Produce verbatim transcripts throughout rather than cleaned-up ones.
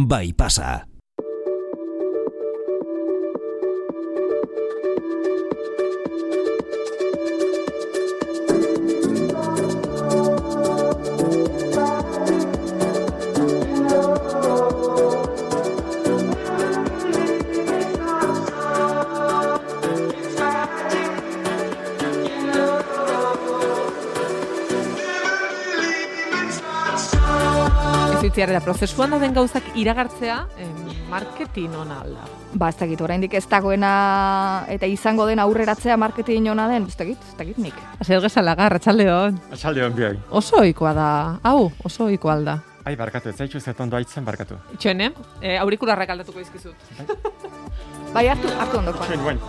bai pasa. Ziarela, prozesuan dauden gauzak iragartzea, em, marketing ona alda. Ba, ez dakit, oraindik ez dagoena eta izango den aurreratzea marketing ona den, ez dakit, ez dakit nik. Azer gezalaga, arratsaldeon. Arratsaldeon bioi. Oso ohikoa da, hau, oso ohikoa alda. Ai, barkatu, ez zaitu zetondo aitzen barkatu. Itxoen, eh? Aurikularrak aldatuko izkizut. Bai, hartu, hartu ondoko. Itxoen, buen.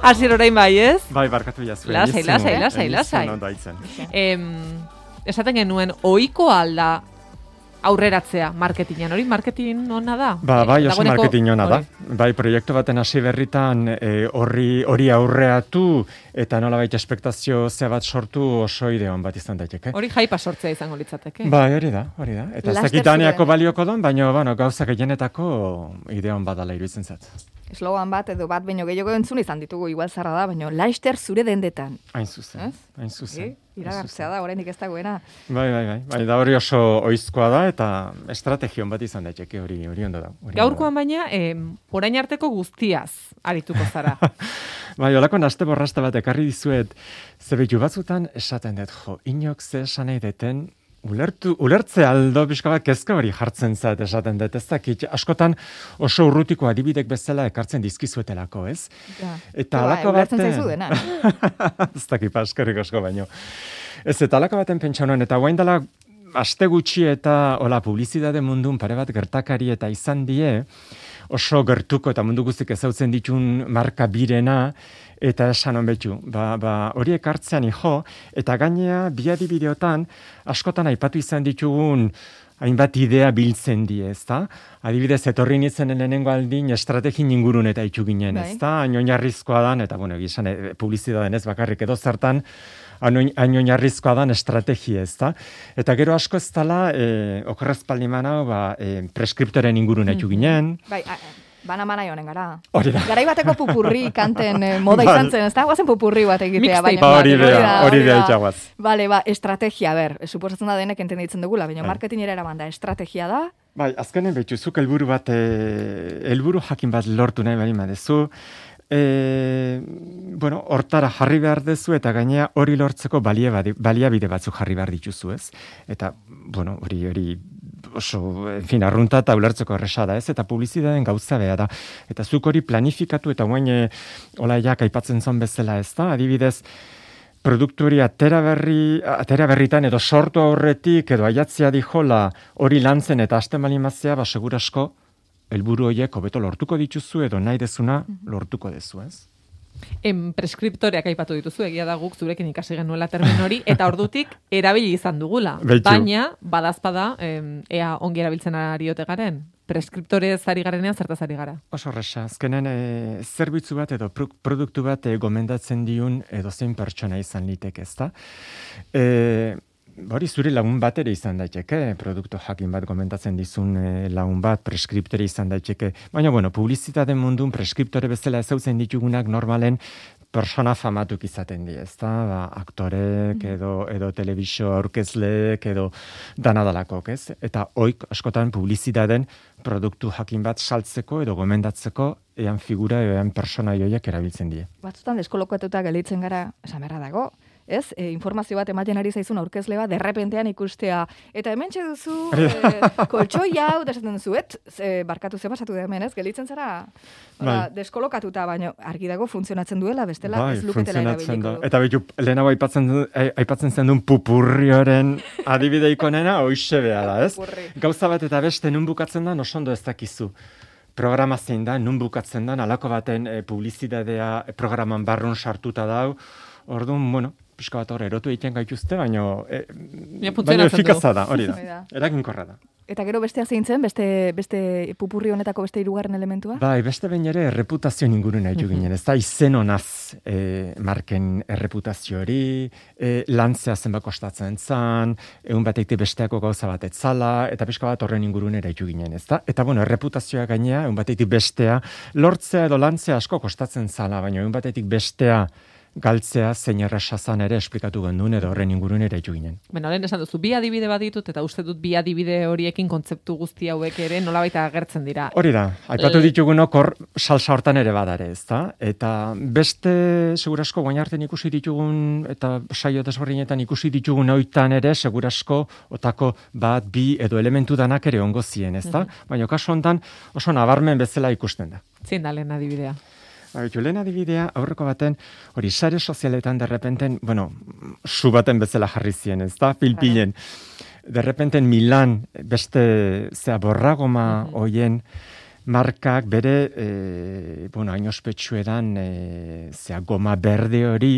Asier orain bai, ez? Bai, barkatu jazuen. Lasai, lasai, lasai, lasai. Em, esaten genuen, ohiko alda aurreratzea marketingan, hori marketing ona da? Ba, bai, oso Dagoeneko, marketing ona da. hori. Bai, proiektu baten hasi berritan horri hori aurreatu eta nolabait espektazio ze bat sortu oso ideon bat izan daiteke. Hori jaipa sortzea izango litzateke. Bai, hori da, hori da. Eta ez dakit daneako balioko don, baina bueno, gauza gehienetako ideon badala iruditzen zat. Eslogan bat edo bat baino gehiago entzun izan ditugu, igual zarra da, baina laister zure dendetan. Hain zuzen, hain zuzen. Iragartzea da, oraindik ez dagoena. Bai, bai, bai. Bai, da hori oso ohizkoa da eta estrategion bat izan daiteke hori hori ondo da. Gaurkoan baina, eh, orain arteko guztiaz arituko zara. Bai, holako naste borraste bat ekarri dizuet, zebitu batzutan esaten dut, jo, inok ze esan nahi deten, Ulertu, ulertze aldo pixka bat kezka hori jartzen zait esaten dut, ez dakit, askotan oso urrutiko adibidek bezala ekartzen dizkizuetelako, ez? Ja. Eta ba, alako baten... baten... zaizu dena. Ez dakit, paskarrik asko baino. Ez, eta alako baten pentsa honen, eta guain dela aste gutxi eta hola, publizitate mundun pare bat gertakari eta izan die, oso gertuko eta mundu guztik ezautzen ditun marka birena, eta esan honbetxu, ba, ba, horiek hartzean ijo, eta gainea bi adibideotan askotan aipatu izan ditugun hainbat idea biltzen die, ezta? Adibidez, etorri nintzen lehenengo aldin estrategin ingurun eta itxu ginen, ezta? Hain oinarrizkoa dan, eta bueno, gizan, e, publizitateen ez bakarrik edo zertan, hain oinarrizkoa dan estrategia, ezta? Eta gero asko ez dala, e, okorrez paldiman hau, ba, e, preskriptoren ingurun itxu ginen. Bai, bana mana joanen gara. Hori da. Garai bateko pupurri kanten eh, moda izan zen, ez da? Guazen pupurri bat egitea. Baina, ba, hori da, hori da itxaguaz. Bale, ba, estrategia, ber, suposatzen da denek entenditzen dugula, baina marketingera eraman da, estrategia da. Bai, azkenen betxu, zuk helburu bat, helburu jakin bat lortu nahi bali madezu, E, bueno, hortara jarri behar dezu eta gainea hori lortzeko baliabide batzuk jarri behar dituzu, ez? Eta, bueno, hori hori oso, en fin, arrunta eta ulertzeko erresa da, ez? Eta publizitateen gauza beha da. Eta zuk hori planifikatu eta guain olaiak aipatzen zon bezala, ez da? Adibidez, produktu hori atera berri, atera berritan edo sortu aurretik edo aiatzea dijola hori lantzen eta hasten balimazia, ba, segurasko helburu horiek hobeto lortuko dituzu edo nahi dezuna lortuko dezu, ez? En preskriptoreak aipatu dituzu, egia da guk zurekin ikasi genuela termin hori, eta ordutik erabili izan dugula. Beitu. Baina, badazpada, ea ongi erabiltzen ariote garen. Preskriptorez ari garenean zertaz ari gara. Oso horreza, azkenen e, zerbitzu bat edo pro, produktu bat e, gomendatzen diun edo zein pertsona izan litek, ez da? E, Hori zure lagun bat ere izan daiteke, produktu jakin bat komentatzen dizun e, lagun bat, preskriptore izan daiteke. Baina, bueno, publizitate mundun preskriptore bezala ezautzen ditugunak normalen persona famatuk izaten di, ezta? Ba, aktorek edo, edo telebisio aurkezleek edo danadalakok, ez? Eta oik askotan publizitateen produktu jakin bat saltzeko edo gomendatzeko ean figura edo ean persona joiak erabiltzen die. Batzutan deskolokatuta gelditzen gara, esan beharra dago, ez? E, informazio bat ematen ari zaizun aurkezle bat, derrepentean ikustea. Eta hementxe duzu, e, koltsoi hau, da esaten duzu, et, e, barkatu ze pasatu da hemen, ez? Gelditzen zara, bai. Deskolokatuta, baina argi dago funtzionatzen duela, bestela bai, ez luketela erabiliko. Eta behitu, lehenago aipatzen, aipatzen zen duen pupurrioren adibideiko nena, hoixe beha da, ez? Pupurri. Gauza bat eta beste nun bukatzen da, osondo ez dakizu. Programa zein da, nun bukatzen da, alako baten e, publizitatea programan barrun sartuta dau, orduan, bueno, pixka bat hor erotu egiten gaituzte, baina e, baina efikaza da, hori da, eraginkorra da. Eta gero bestea zeintzen, beste, beste pupurri honetako beste hirugarren elementua? Bai, beste behin ere erreputazio ingurun nahi ginen, ez da izen honaz e, marken erreputazio hori, e, lantzea zenbako kostatzen zan, egun batetik besteako gauza bat etzala, eta pixka bat horren ingurun ere ginen, ez da? Eta bueno, erreputazioa gainea, egun batetik bestea, lortzea edo lantzea asko kostatzen zala, baina egun batetik bestea galtzea zein errasazan ere esplikatu gendun edo horren ingurun ere ginen. Beno, lehen esan duzu, bi adibide bat ditut, eta uste dut bi adibide horiekin kontzeptu guzti hauek ere nolabait agertzen dira. Hori da, aipatu ditugunok hor salsa hortan ere badare, ez da? Eta beste segurasko guainarten ikusi ditugun, eta saio desberdinetan ikusi ditugun oitan ere, segurasko otako bat, bi edo elementu danak ere ongo zien, ez da? Mm-hmm. Baina kasu hontan oso nabarmen bezala ikusten da. Zein da lehen adibidea? Baitu, lehen adibidea, aurreko baten, hori sare sozialetan derrepenten, bueno, su baten bezala jarri zien, ez da, pilpilen. Derrepenten Milan, beste, zea, borragoma uh-huh. oien, markak bere, e, bueno, hain ospetsu edan, e, zea, goma berde hori,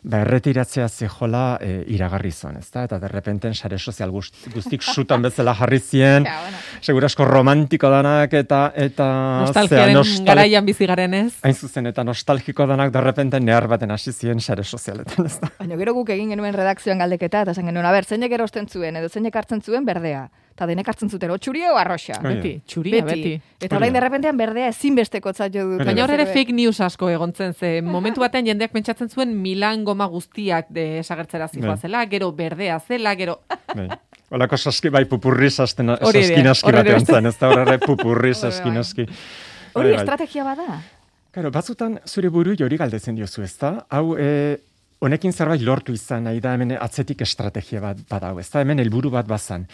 ba, erretiratzea zehola e, iragarri zon, ez da? Eta derrepenten sare sozial guztik, guztik sutan bezala jarri zien, ja, bueno. Segurasko romantiko danak, eta... eta nostalgiaren nostal... garaian bizi garen ez? Hain zuzen, eta nostalgiko danak derrepenten nehar baten hasi zien sare sozialetan, ez da? Baina gero guk egin genuen redakzioan galdeketa, eta esan genuen, aber, zeinek erosten zuen, edo zeinek hartzen zuen berdea. Eta denek hartzen zuten, o txuria o arroxa. Beti, txuria, beti. beti. Eta orain derrepentean berdea ezinbesteko jo dut. Baina hor ere fake news asko egontzen ze. Momentu batean jendeak pentsatzen zuen Milan goma guztiak desagertzera zijoa zela, gero berdea zela, gero... Olako saski, bai, pupurri saskin aski batean zen, ez da horre pupurri saskin aski. Hori estrategia bada? Karo, batzutan zure buru jori galdezen diozu, ez da? Hau, e, honekin zerbait lortu izan, nahi da hemen atzetik estrategia bat badau, ez da hemen helburu bat bazan.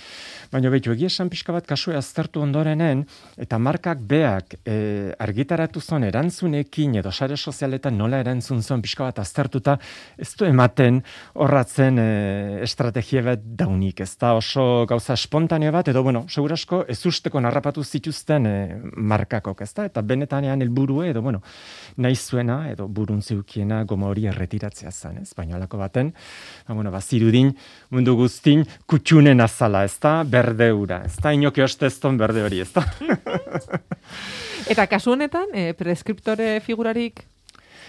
Baina behitu, egia esan pixka bat kasua aztertu ondorenen, eta markak beak e, argitaratu zon erantzunekin edo sare sozialetan nola erantzun zon pixka bat aztertuta, ez du ematen horratzen e, estrategia bat daunik, ez da oso gauza espontaneo bat, edo bueno, segurasko ez usteko narrapatu zituzten e, markakok, ez da, eta benetanean helburue, edo bueno, nahi zuena, edo burun zeukiena goma hori erretiratzea zen, ez, baina alako baten, ba, bueno, bazirudin mundu guztin kutxunen azala, ez da, berde ura, ez da, inoki ostezton berde hori, ez da. Eta kasu honetan, e, preskriptore figurarik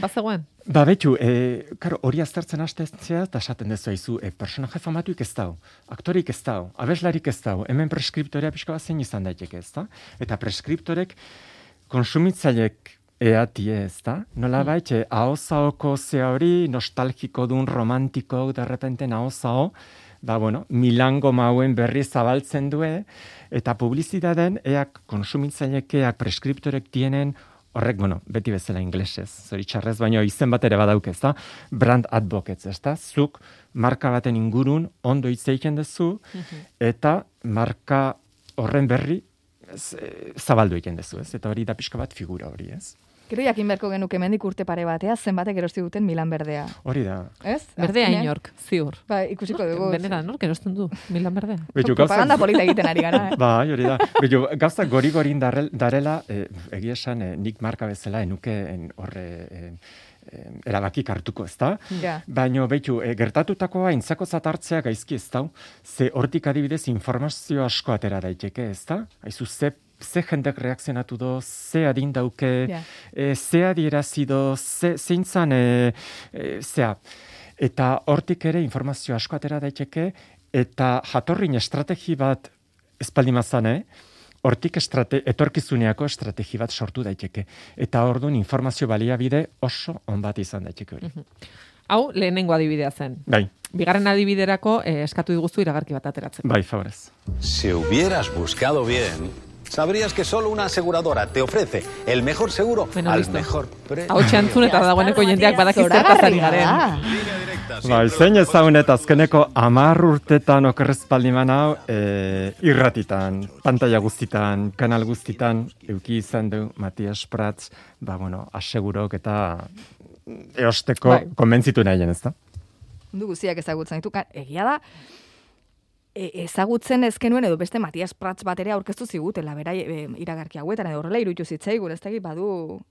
bazegoen? Ba, betxu, e, karo, hori aztertzen hastetzea, eta esaten dezu haizu, e, personaje famatuik ez dau, aktorik ez dau, abeslarik ez dau, hemen preskriptorea pixka bat zein izan daiteke, ez da? Eta preskriptorek konsumitzailek eatie, ez da? Nola baitxe, ahozahoko zea hori, nostalgiko dun, romantiko, derrepenten ahozao, ba, bueno, Milango mauen berri zabaltzen due, eta publizitaten eak konsumitzailekeak preskriptorek tienen, horrek, bueno, beti bezala inglesez, zoritxarrez, baina izen bat ere badauk, ez da? Brand advocates, ez da? Zuk marka baten ingurun ondo hitz egiten duzu, eta marka horren berri ez, e, zabaldu egiten duzu, ez? Eta hori da pixka bat figura hori, ez? Gero jakin beharko genuke mendik urte pare batea, zenbatek erosti duten Milan berdea. Hori da. Ez? Berdea inork, ziur. Ba, ikusiko dugu. Bendera, nork erosten du Milan berdea? Propaganda polita egiten ari gara, eh? Ba, hori da. Bitu, gauza gori-gorin darela, eh, egia esan, eh, nik marka bezala enuke horre... Eh, erabakik hartuko, ez da? Ja. Baina, behitu, e, gertatutakoa intzako zatartzea gaizki ez da, ze hortik adibidez informazio asko atera daiteke, ez da? Haizu, ze, ze jendek reakzionatu do, ze adin dauke, yeah. e, ze adierazi do, ze, zeintzan, e, e, zea. Eta hortik ere informazio asko atera daiteke, eta jatorrin estrategi bat espaldimazan, eh? Hortik estrate, etorkizuneako estrategi bat sortu daiteke. Eta orduan informazio baliabide oso on bat izan daiteke hori. Hau, lehenengo adibidea zen. Bai. Bigarren adibiderako eh, eskatu diguzu iragarki bat ateratzen. Bai, favorez. Si hubieras buscado bien, sabrías que solo una aseguradora te ofrece el mejor seguro bueno, al listo. Mejor precio. Hau txantzun eta dagoeneko jendeak badaki zertazari garen. Bai, zein ezagun eta azkeneko amar urtetan okerrezpaldiman hau e, irratitan, pantalla guztitan, kanal guztitan, euki izan du Matias Prats, ba, bueno, asegurok eta eosteko bai. Konbentzitu nahi ez da? Du guztiak ezagutzen ditu, egia da, e, ezagutzen ezkenuen edo beste Matias Prats bat ere aurkeztu zigutela, bera e, iragarki hauetan edo horrela iruditu zitzaigun, ez da badu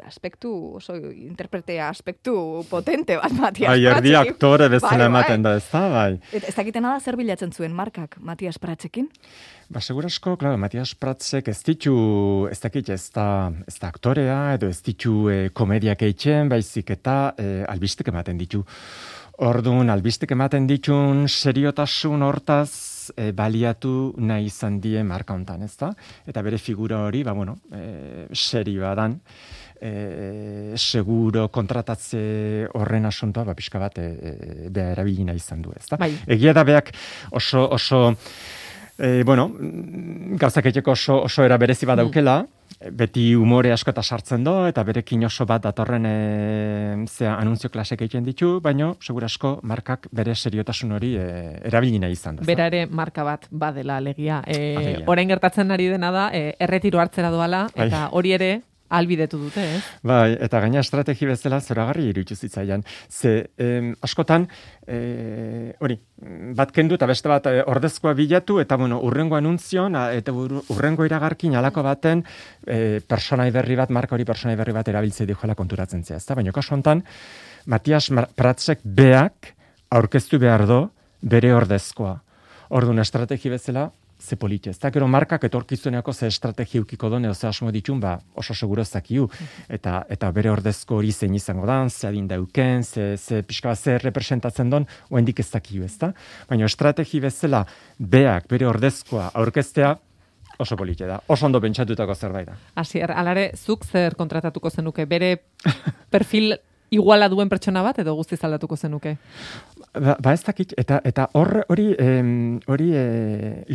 aspektu, oso interpretea aspektu potente bat, Matias Pratzekin. Ai, erdi aktore bezala bai, ematen bai. da, ez da, bai. Eta ez dakitena da zer bilatzen zuen markak Matias Pratzekin? Ba, segurasko, claro, Matias Pratzek ez ditu, ez dakit, ez da, ez da aktorea, edo ez ditu e, komediak eitzen, baizik eta e, albistek ematen ditu. Orduan, albistek ematen ditun seriotasun hortaz e, baliatu nahi izan die marka hontan, ez da? Eta bere figura hori, ba, bueno, e, serioa dan, e, seguro kontratatze horren asuntoa, ba, pixka bat, e, e, beha erabili nahi izan du, ez da? Bai. Egia da beak oso, oso, e, bueno, gauzak egiteko oso, oso era berezi bat daukela, mm. beti umore asko eta sartzen do, eta berekin oso bat datorren e, zea anunzio klasek egiten ditu, baino, segurasko markak bere seriotasun hori e, erabili nahi izan da. Bera ere marka bat badela alegia. E, orain gertatzen ari dena da, e, erretiro hartzera doala, eta hori ere albidetu dute, ez? Bai, eta gaina estrategi bezala zoragarri iruditu zitzaian. Ze, em, askotan, e, hori, bat kendu eta beste bat e, ordezkoa bilatu, eta bueno, urrengo anunzion, a, eta urrengo iragarkin alako baten, e, personai berri bat, marka hori personai berri bat erabiltzei dijoela konturatzen zea, ezta? Baina kasu hontan, Matias Pratzek beak aurkeztu behar do bere ordezkoa. Orduan estrategi bezala, ze politxe. Ez da, gero markak etorkizuneako ze estrategi ukiko done, oze asmo ditun, ba, oso seguro zakiu. Eta, eta bere ordezko hori zein izango dan, ze adin dauken, ze, ze pixka bat, ze representatzen don, oendik ez zakiu, ez da? Baina estrategi bezala, beak, bere ordezkoa aurkeztea, oso politxe da. Oso ondo pentsatutako zerbait da. Asier, alare, zuk zer kontratatuko zenuke? Bere perfil iguala duen pertsona bat, edo guztiz aldatuko zenuke? Ba, ba ez dakit, eta eta hor hori hori e,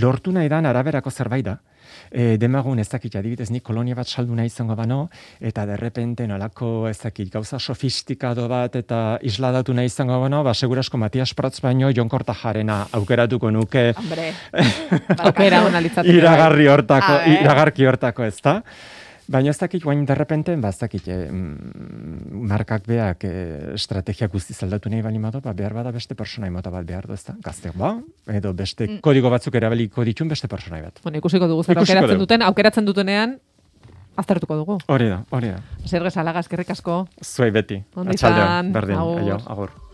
lortu nahi dan araberako zerbait da. E, demagun ez dakit, adibidez nik kolonia bat saldu nahi izango bano, eta derrepente nolako ez dakit, gauza sofistikado bat eta isladatu nahi izango bano, ba segurasko Matias Pratz baino Jon Kortajarena aukeratuko nuke. Hombre, aukera ona litzateke. Iragarri hortako, iragarki hortako, ez da? Baina ez dakit, guain derrepente, ba ez dakit, eh, markak beak eh, estrategia guztiz aldatu nahi bali mato, ba behar bada beste personai mota bat behar du, ez da? Gazte, ba, edo beste mm. kodigo batzuk erabeliko ditun beste personai bat. Bueno, ikusiko dugu zer aukeratzen duten, aukeratzen dutenean, aztertuko dugu. Hori da, hori da. Zer gezalaga, eskerrik asko. Zuei beti. Atxaldeon, berdin, aio, agur.